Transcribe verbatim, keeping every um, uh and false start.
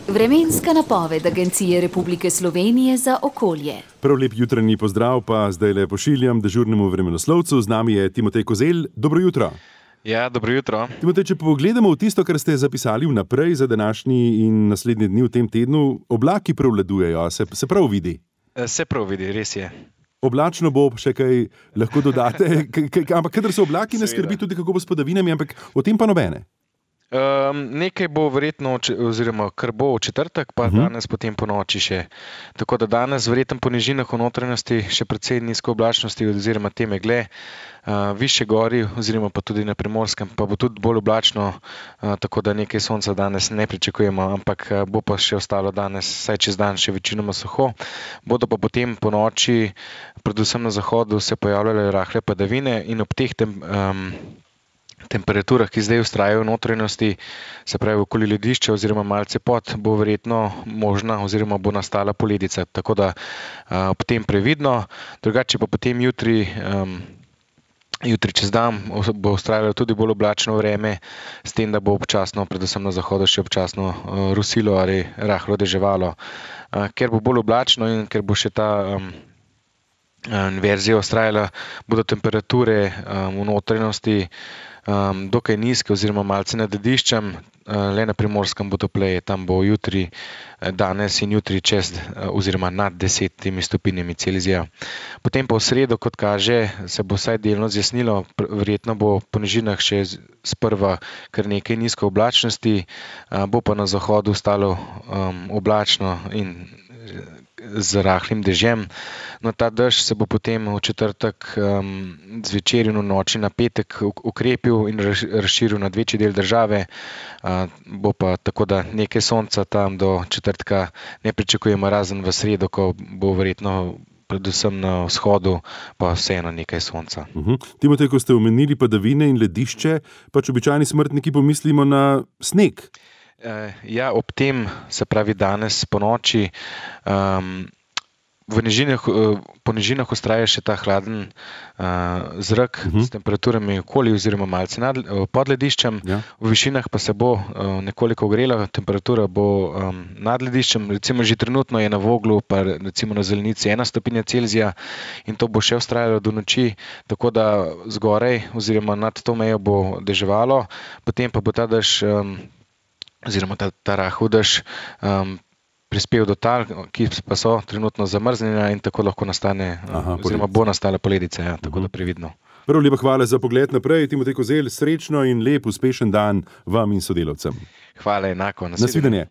Vremenska napoved Agencije Republike Slovenije za okolje. Prav lep jutranji pozdrav pa zdaj le pošiljam dežurnemu vremenoslovcu. Z nami je Timotej Kozelj. Dobro jutro. Ja, dobro jutro. Timotej, če pogledamo v tisto, kar ste zapisali vnaprej za današnji in naslednji dni v tem tednu, oblaki prevladujejo, se, se prav vidi? Se prav vidi, res je. Oblačno bo, še kaj lahko dodate, k, k, ampak kadar so oblaki, ne skrbi tudi, kako bo s padavinami, ampak o tem pa nobene. Um, nekaj bo verjetno, oziroma kar bo v četrtek, pa uh-huh. danes potem po noči še. Tako da danes verjetno po nižinah v notranjosti še precej nizko oblačnosti oziroma te megle, uh, više gori oziroma pa tudi na Primorskem, pa bo tudi bolj oblačno, uh, tako da nekaj sonca danes ne pričakujemo, ampak uh, bo pa še ostalo danes, saj čez dan še večinoma suho. Bodo pa potem po noči, predvsem na zahodu, se pojavljale rahle padavine in ob teh tem um, temperaturah, ki zdaj vztrajajo v notranjosti, se pravi okoli ledišča oziroma malce pod, bo verjetno možna oziroma bo nastala poledica. Tako da uh, ob tem previdno, drugače pa potem jutri, um, jutri čez dan bo vztrajalo tudi bolj oblačno vreme, s tem, da bo občasno, predvsem na zahodu, še občasno uh, rusilo ali rahlo deževalo. Uh, ker bo bolj oblačno in ker bo še ta um, inverzija vztrajala, bodo temperature um, v notranjosti Um, dokaj nizke oziroma malce nad lediščem, uh, le na Primorskem bo topleje, tam bo jutri, danes in jutri čez uh, oziroma nad desetimi stopinjami Celzija. Potem pa v sredo, kot kaže, se bo vsaj delno zjasnilo, verjetno bo po nižinah še sprva kar nekaj nizko oblačnosti, uh, bo pa na zahodu ostalo um, oblačno in z rahlim dežjem. No, ta dež se bo potem v četrtek um, zvečer in v noči na petek ukrepil in razširil na večji del države. Uh, bo pa tako, da nekaj sonca tam do četrtka ne pričakujemo, razen v sredo, ko bo verjetno predvsem na vzhodu pa vseeno nekaj sonca. Uh-huh. Timotej, ko ste omenili padavine in ledišče, pač običajni smrtniki pomislimo na sneg. Ja, ob tem, se pravi danes po noči, um, v nižinah, po nižinah vztraja še ta hladen uh, zrak uh-huh. s temperaturami okoli oziroma malce nad, pod lediščem. Ja. V višinah pa se bo uh, nekoliko ogrela, temperatura bo um, nad lediščem, recimo že trenutno je na Voglu, pa recimo na Zelenici ena stopinja Celzija in to bo še vztrajalo do noči, tako da zgoraj oziroma nad to mejo bo deževalo, potem pa bo ta dež um, oziroma ta, ta rahel dež um, prispel do tal, ki pa so trenutno zamrznjena in tako lahko nastane, Aha, oziroma bo nastala poledica, ja, tako uh-huh. da previdno. Prav lepa hvala za pogled naprej. Timotej Kozelj, srečno in lep, uspešen dan vam in sodelavcem. Hvala, enako. Nasvidenje.